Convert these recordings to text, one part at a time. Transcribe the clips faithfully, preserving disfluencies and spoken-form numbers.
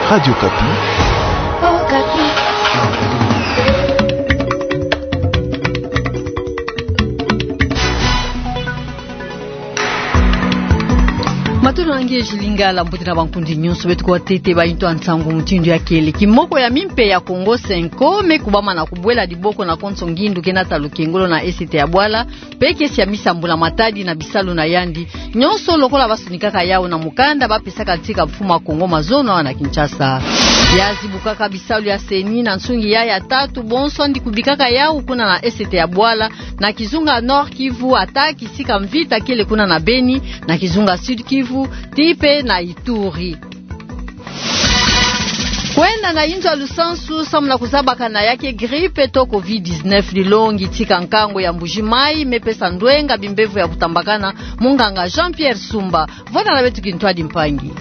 Radio Okapi. Matondo na ngieti Lingala, mbote na bankundi nyonso beto kuwa ntete ba yintu ya nsangu mutindu ya kele. Kimoko ya mimpe ya Kongo Cenco me kubama na kubwela diboko na konso ngindu ke nata lukengolo na esete ya bwala, mpe ke siamisa mbula matadi na bisalu na yandi nyonso lokola basonikaka yawu na mukanda bapesaka ntika mfumu a Kongo mazono awa na Kinshasa. Ya zibukaka bisalu ya CENI na nsungi yayi ya tatu bonso yandi kubikaka yawu kuna na esete ya bwala, na kizunga Nord-Kivu, ata kisika mvita kele kuna na Beni, na kizunga Sud-Kivu, tii mpe na Ituri. Kwenda na inzo ya lusansu samu na kuzabakana ya ke grippe to covid dix-neuf dilongi tika nkangu ya Mbuji Mayi me pesa ndwenga bimbevo ya kutambakana, munganga Jean-Pierre Sumba. Vwanda na beto kintwadi mpangi.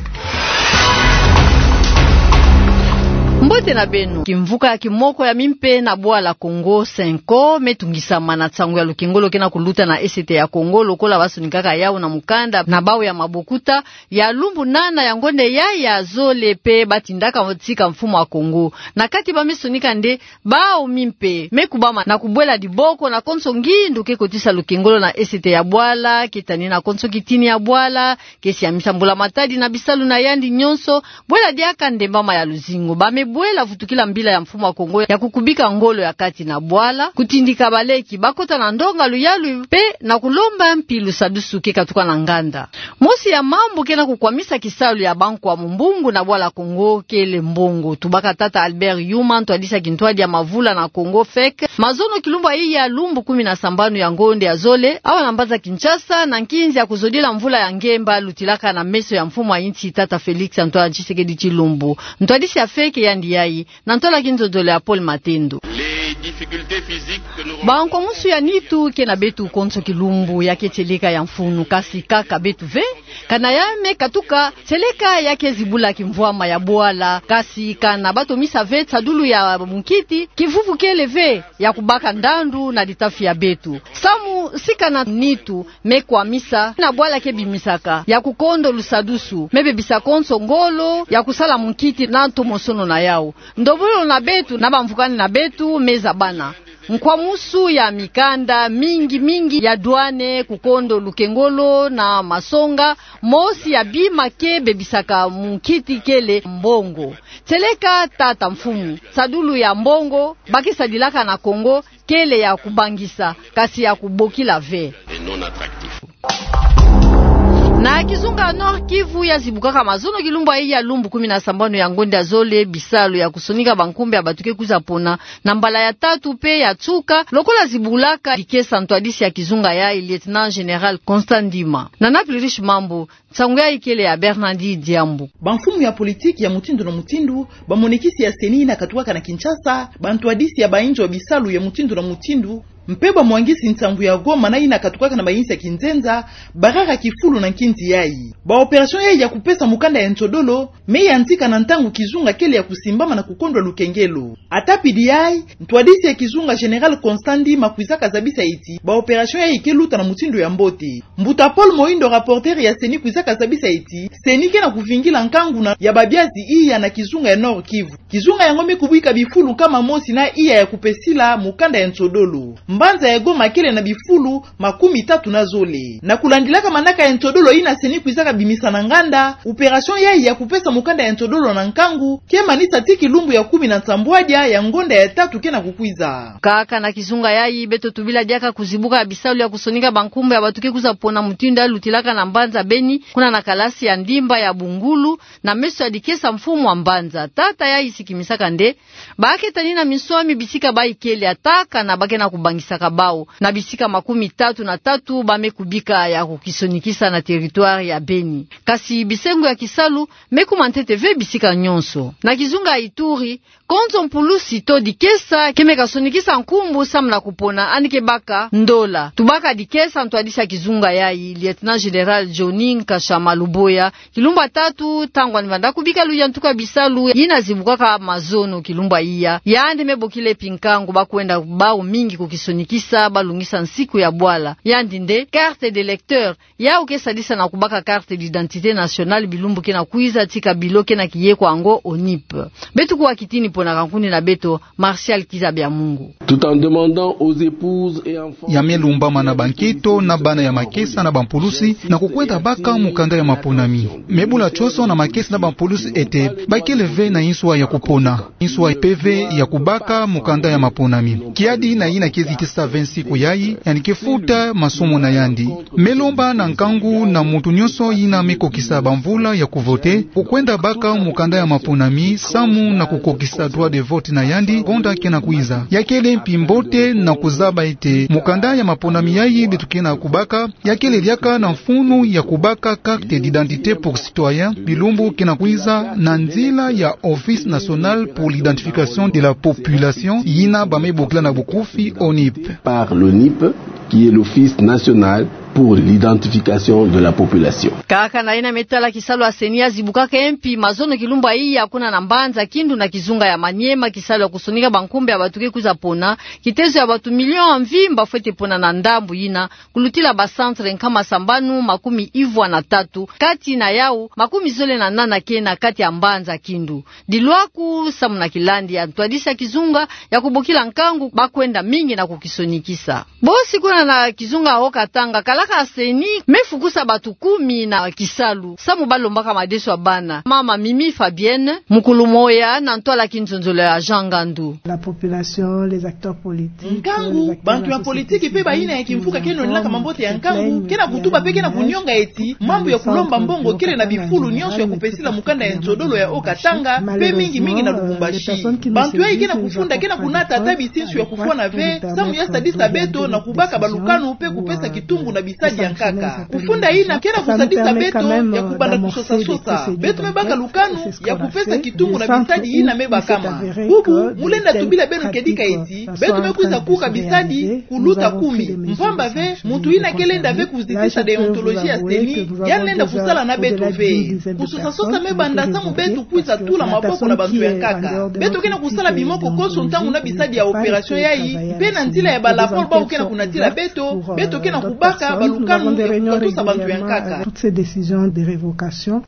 Mbote na beno. Kimvuka ya kimoko ya mimpe na bwala Kongo Cenco me tungisama na nsangu ya lukengolo ke na kuluta na esete ya Kongo lokola basonikaka yawu na mukanda na bawu ya mabokuta, ya lumbu nana ya ngonde yayi ya zole mpe batindaka ntika mfumu a Kongo. Na kati ba me sonika nde bawu mimpe me kubama na kubwela diboko na konso ngindu ke kotisa lukengolo na esete ya bwala, ke tani na konso kitini ya bwala, ke siamisa mbula matadi na bisalu na yandi nyonso, bwela diaka nde mbama ya luzingu. Ba me bwela vutukila mbila ya mfumu a Kongo ya kukubika ngolo ya kati na bwala, kutindika baleki bakota na ndonga luyalu mpe na kulomba mpi lusadusu ke katuka na nganda. Mosi ya mambu ke na kukwamisa kisalu ya bankwa mumbungu na bwala Kongo kele mbongo. Tubaka tata Albert Yuma, ntwadisi ya kintwadi ya mavula na Kongo, fek, mazono kilumbu yayi ya lumbu kumi na sambanu ya ngonde ya zole, awa na mbanza Kinshasa, na nkinzi ya kuzodila mvula ya ngemba lutilaka na meso ya mfumu a insi tata Félix Antoine Tshisekedi Tshilombo. Ntwadisi ya fek yandi yayi, na ntwala kinzonzolo ya Paul Matendo. Bankwamusu ya nitu ke na beto konso kilumbu ya ke tieleka ya mfunu, kasi kaka beto ve. Kana ya me katuka, tieleka ya ke zibula kimvwama ya bwala, kasi kana batomisa ve nsadulu ya munkiti, kivuvu kele ve ya kubaka ndandu na ditafi ya beto. Samu si kana nitu me kwamisa na bwala ke bimisaka ya kukondo lusadusu, me bebisa konso ngolo ya kusala munkiti na ntomosono na yawu. Ndobololo na beto na bamvukani na beto me zabana. Nkwamusu ya mikanda mingi mingi ya douane, kukondo lukengolo na masonga, mosi ya bima ke bebisaka munkiti kele mbongo. Tieleka tata mfumu, nsadulu ya mbongo ba ke sadilaka na Kongo kele ya kubangisa, kasi ya kubokila ve. Na kizunga Nord-Kivu ya zibukaka mazono kilumbu yayi ya lumbu kumi na sambanu ya ngonde ya zole bisalu ya kusonika bankumbu ya bato ke kwiza pona na mbala ya tatu mpe ya nsuka, lokola zibulaka dikesa ntwadisi ya kizunga yayi, lieutenant-général Constant Ndima. Nana Plurish Mambu, nsangu yayi kele ya Bernardi Diambu. Bamfumu ya politiki ya mutindu na mutindu, bamonekisi ya CENI yina katuka na Kinshasa, bantwadisi ya bainzo ya bisalu ya mutindu na mutindu, mpe bamwangisi nsangu ya Goma na yina katukaka na bayinsi ya kinzenza, barara kifulu na nkinzi yayi. Ba opération yayi ya kupesa mukanda ya nsodolo me yantika na ntangu kizunga kele ya kusimbama na kukondwa lukengelo. Ata pidi yayi, ntwadisi ya kizunga général Constant Ndima kwizaka zabisa ti ba opération yayi ke luta na mutindu ya mbote. Mbuta Paul Moindo, rapporteur ya CENI, kwizaka zabisa ti CENI ke na kuvingila nkangu na ya babiazi iya na kizunga ya Nord-Kivu. Kizunga yango me kubika bifulu nkama mosi na iya ya kupesila mukanda ya nsodolo. Mbanza ya Goma kele na bifulu makumi tatu na zole. Na kulandilaka manaka ya nsodolo yina CENI kwizaka bimisa na nganda, opération yayi ya kupesa mukanda ya nsodolo na nkangu ke manisa tii kilumbu ya kumi na nsambwadia ya ngonda ya tatu ke na kukwiza. Kaka na kizunga yayi, beto tubila diaka kuzibuka ya bisalu ya kusonika bankumbu ya bato ke kwiza pona mutindu ya lutilaka na mbanza Beni, kuna na kalasi ya Ndimba ya Bungulu, na meso ya dikesa mfumu wa mbanza. Tata yayi sikimisaka nde ba ke tani na minswami bisika bayi kele, ata kana ba ke na kubangisaka bawu na bisika makumi tatu na tatu ba me kubika ya kukisonikisa na territoire ya Beni. Kasi bisengo ya kisalu me kuma ntete ve bisika nyonso. Na kizunga Ituri, Konzo mpulusi to dikesa ke me kasonikisa nkumbu samu na kupona yandi ke baka ndola. Tubaka dikesa ntwadisi ya kizunga yayi, Lieutenant Général Johnny Nkashama Luboya, kilumbu ya tatu, ntangu yandi vanda kubika luyantuku ya bisalu yina zibukaka mazono kilumbu ya iya, yandi me bokila mpi nkangu ba kwenda bau mingi kukisonikisa, ba lungisa nsiku ya bwala. Yandi nde carte d'électeur, yawu ke sadisa na kubaka carte d'identité nationale bilumbu ke na kwiza, tika bilo ke na kiye kwa ngo ONIP. Beto kuwa kitini pona ka nkundi na beto, Martial Kiza Bya Mungu. Tout en demandant aux épouses et enfants. Ya me lumbama na bankento na bana ya makesa na bampulusi na kukwenda baka mukanda ya maponami. Me bula tioso na makesa na bampulusi ete ba kele ve na nswa ya kupona, nswa pe ve ya kubaka mukanda ya maponami. Kiadi na yina ke zitisa ve nsiku yayi, yandi ke futa masumu na yandi. Me lomba na nkangu na muntu nionso yina me kokisa bamvula ya kuvote, kukwenda baka mukanda ya maponami samu na kukokisa droit de vote na yandi ngonda ke na kwiza. Ya kele mpi mbote na kuzaba ete mukanda ya maponami yayi beto ke na kubaka ya kele diaka na mfunu ya kubaka carte d'identité pour citoyen bilumbu ke na kwiza, na nzila ya Office National pour l'Identification de la Population, yina ba me bokila na bukufi ONIP. Par l'ONIP, qui est l'Office National pour l'Identification de la Population. Kaka na yina me tala kisalu ya CENI, ya zibukaka mpi mazono kilumbu ya iya kuna na mbanza Kindu na kizunga ya Maniema, kisalu ya kusonika bankumbu ya bantu ke kwiza pona. Kitezo ya bantu million ya mvimba fwete pona na ndambu yina, kulutila ba centre nkama sambanu makumi ivwa na tatu, kati na yawu makumi zole na nana ke na kati ya mbanza Kindu. Dilwaku samu na kilandi ya ntwadisi ya kizunga ya kubokila nkangu, ba kwenda mingi na kukisonikisa. Bosi kuna na kizunga ya Haut-Katanga, kalaka CENI me fukusa bantu kumi na kisalu samu ba lombaka madeso ya bana. Mama Mimi Fabienne, mukulu moya na ntwala kinzonzolo ya Jean Ngandu. La population, les acteurs politiques, nkangu, bantu ya politiki pe bayina ya kimfuka ke nonelaka mambote ya nkangu ke na kutuba pe ke na kunionga eti mambu ya kulomba mbongo kele na bifulu nionso ya kupesila mukanda ya nzodolo ya Haut-Katanga, pe mingi mingi na Lubumbashi. Bantu yayi ke na kufunda ke na kunata ata bisinsu ya kufwana ve samu ya sadisa beto na kubaka balukanu pe kupesa kitungu na bisadi ya nkaka. Kufunda yina ke na kusadisa beto ya kubanda kusosa-sosa. Beto me baka lukanu ya kupesa kitungu na bisadi yina me bakama. Bubu, mu lenda tubila beno kedika eti beto me kwiza kuka bisadi kuluta kumi. Mpamba ve, muntu yina ke lenda ve kuzitisa déontologie ya CENI, ya lenda kusala na beto ve. Kusosa-sosa me banda samu beto kwiza tula maboko na bantu ya nkaka. Beto ke na kusala bimoko konso ntangu na bisadi ya opération yayi, pe na nzila ya ba rapport bawu ke na kunatila beto, beto ke na kubaka balukanu ya kukatusa bantu ya nkaka. Toutes ces décisions de révocation.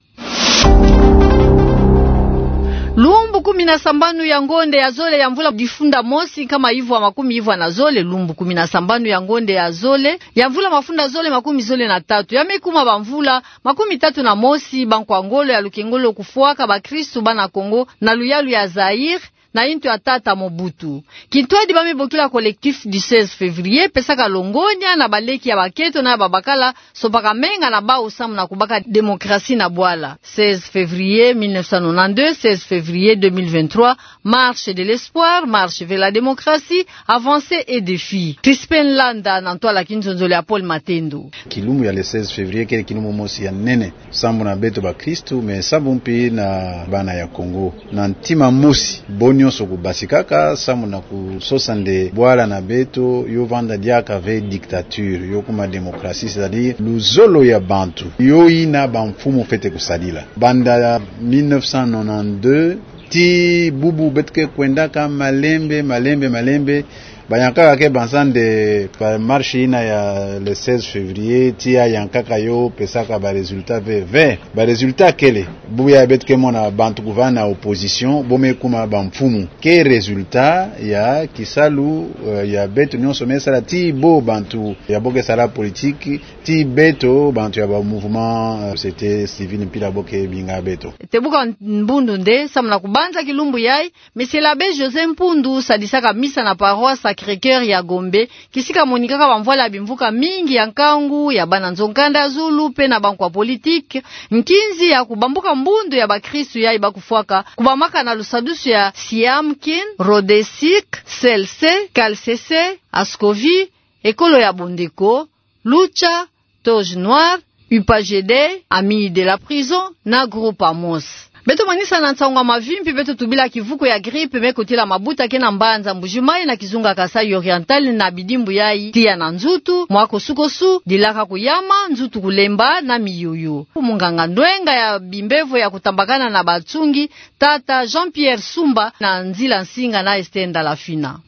Lumbu kumi na sambanu ya ngonde ya zole ya mvula difunda mosi nkama ivwa makumi ivwa na zole, lumbu kumi na sambanu ya ngonde ya zole ya mvula mafunda zole makumi zole na tatu, ya me kuma bamvula makumi tatu na mosi ba nkwa ngolo ya lukengolo kufwaka bakristu bana Kongo na luyalu ya Zaïre, na yintu ya tata Mobutu. Kintwadi ba me bokila Collectif du seize février pesaka longonya na baleki ya bakento na ya babakala, sompaka menga na bawu samu na kubaka démocratie na bwala. Seize février mille neuf cent nonante-deux, seize février deux mille vingt-trois, marche de l'espoir, marche vers la démocratie, avancées et défis. Crispin Landa na ntwala kinzonzolo ya Paul Matendo. Kilumbu ya le seize février kele kilumbu mosi ya nene sambu na beto bakristu, mais sambu mpi na bana ya Kongo. Na ntima mosi, bo nionso kubasikaka sambu na kusosa nde bwala na beto yo vanda diaka ve dictature, yo kuma démocratie, c'est-à-dire luzolo ya bantu, yo yina bamfumu fwete kusadila. Banda mille neuf cent nonante-deux, tii bubu beto ke kwendaka malembe, malembe, malembe. Bayankaka ke banza nde ba marche yina ya le seize février, tii yayankaka yo pesaka ba résultat ve, ve. Ba résultat kele, bubu ya beto ke mona bantu kuvanda na opposition, bo me kuma bamfumu. Ke résultat ya kisalu, euh, ya beto nionso me sala tii bo bantu ya bo ke sala politique, tii beto bantu ya ba mouvement, euh, société civile mpila bo ke binga beto. Te buka mbundu nde, samu na kubanza kilumbu yayi, Monsieur l'abbé José Mpundu sadisaka misa na paroisse Sacré-Cœur ya Gombe, kisika monikaka bamvwala ya bimvuka mingi ya nkangu, ya bana nzo-nkanda zulu, pe na bankwa politique, nkinzi ya kubambuka mbundu ya bakristu yayi ba kufwaka, kubamaka na lusadusu ya Siam Kin, Rhodesique, C L C, K L C C, Ascovi, Ekolo ya Bondeko, Lucha, Toge Noire, U P A G D, Amis de la Prison, na Groupe Amos. Beto manisa na nsangu ya mavimpi, beto tubila kivuko ya grippe me kotila mabuta ke na mbanza Mbuji-Mayi na kizunga Kasaï Oriental, na bidimbu yayi: tiya na nzutu, mwa kosukosu, dilaka kuyama, nzutu kulemba na miyoyo. Munganga ndwenga ya bimbevo ya kutambakana na batsungi, tata Jean-Pierre Sumba, na nzila nsinga na Esther Ndalafina.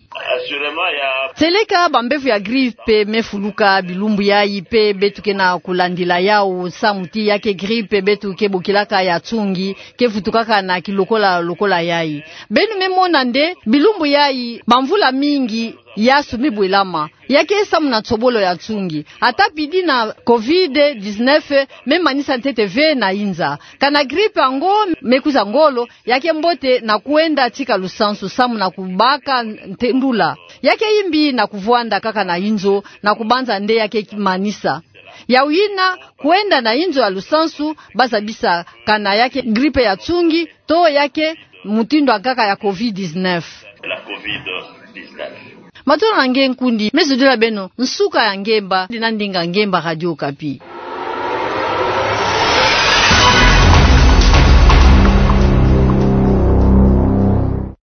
Seleka bambevo ya grippe me fuluka bilumbu yayi, mpe beto ke na kulandila yawu samu ti ya ke grippe beto ke bokilaka ya tsungi, ke vutukaka na kilokola lokola yayi. Beno me mona nde bilumbu yayi, bamvula mingi yasu me bwelama, ya ke samu na nsobolo ya tsungi. Ata pidi na covid dix-neuf, me manisa ntete ve na inza. Kana grippe yango me kwiza ngolo, ya ke mbote na kwenda tika lusansu samu na kubaka ntendula. Ya ke yimbi na kuvwanda kaka na inzo na kubanza nde ya ke manisa. Yawu yina, kwenda na inzo ya lusansu, bazabisa kana ya ke grippe ya tsungi, to ya ke mutindu ya nkaka ya covid dix-neuf. Matondo na nge nkundi, me zodila beno nsuka ya ngemba, dina ndinga ngemba Radio Okapi.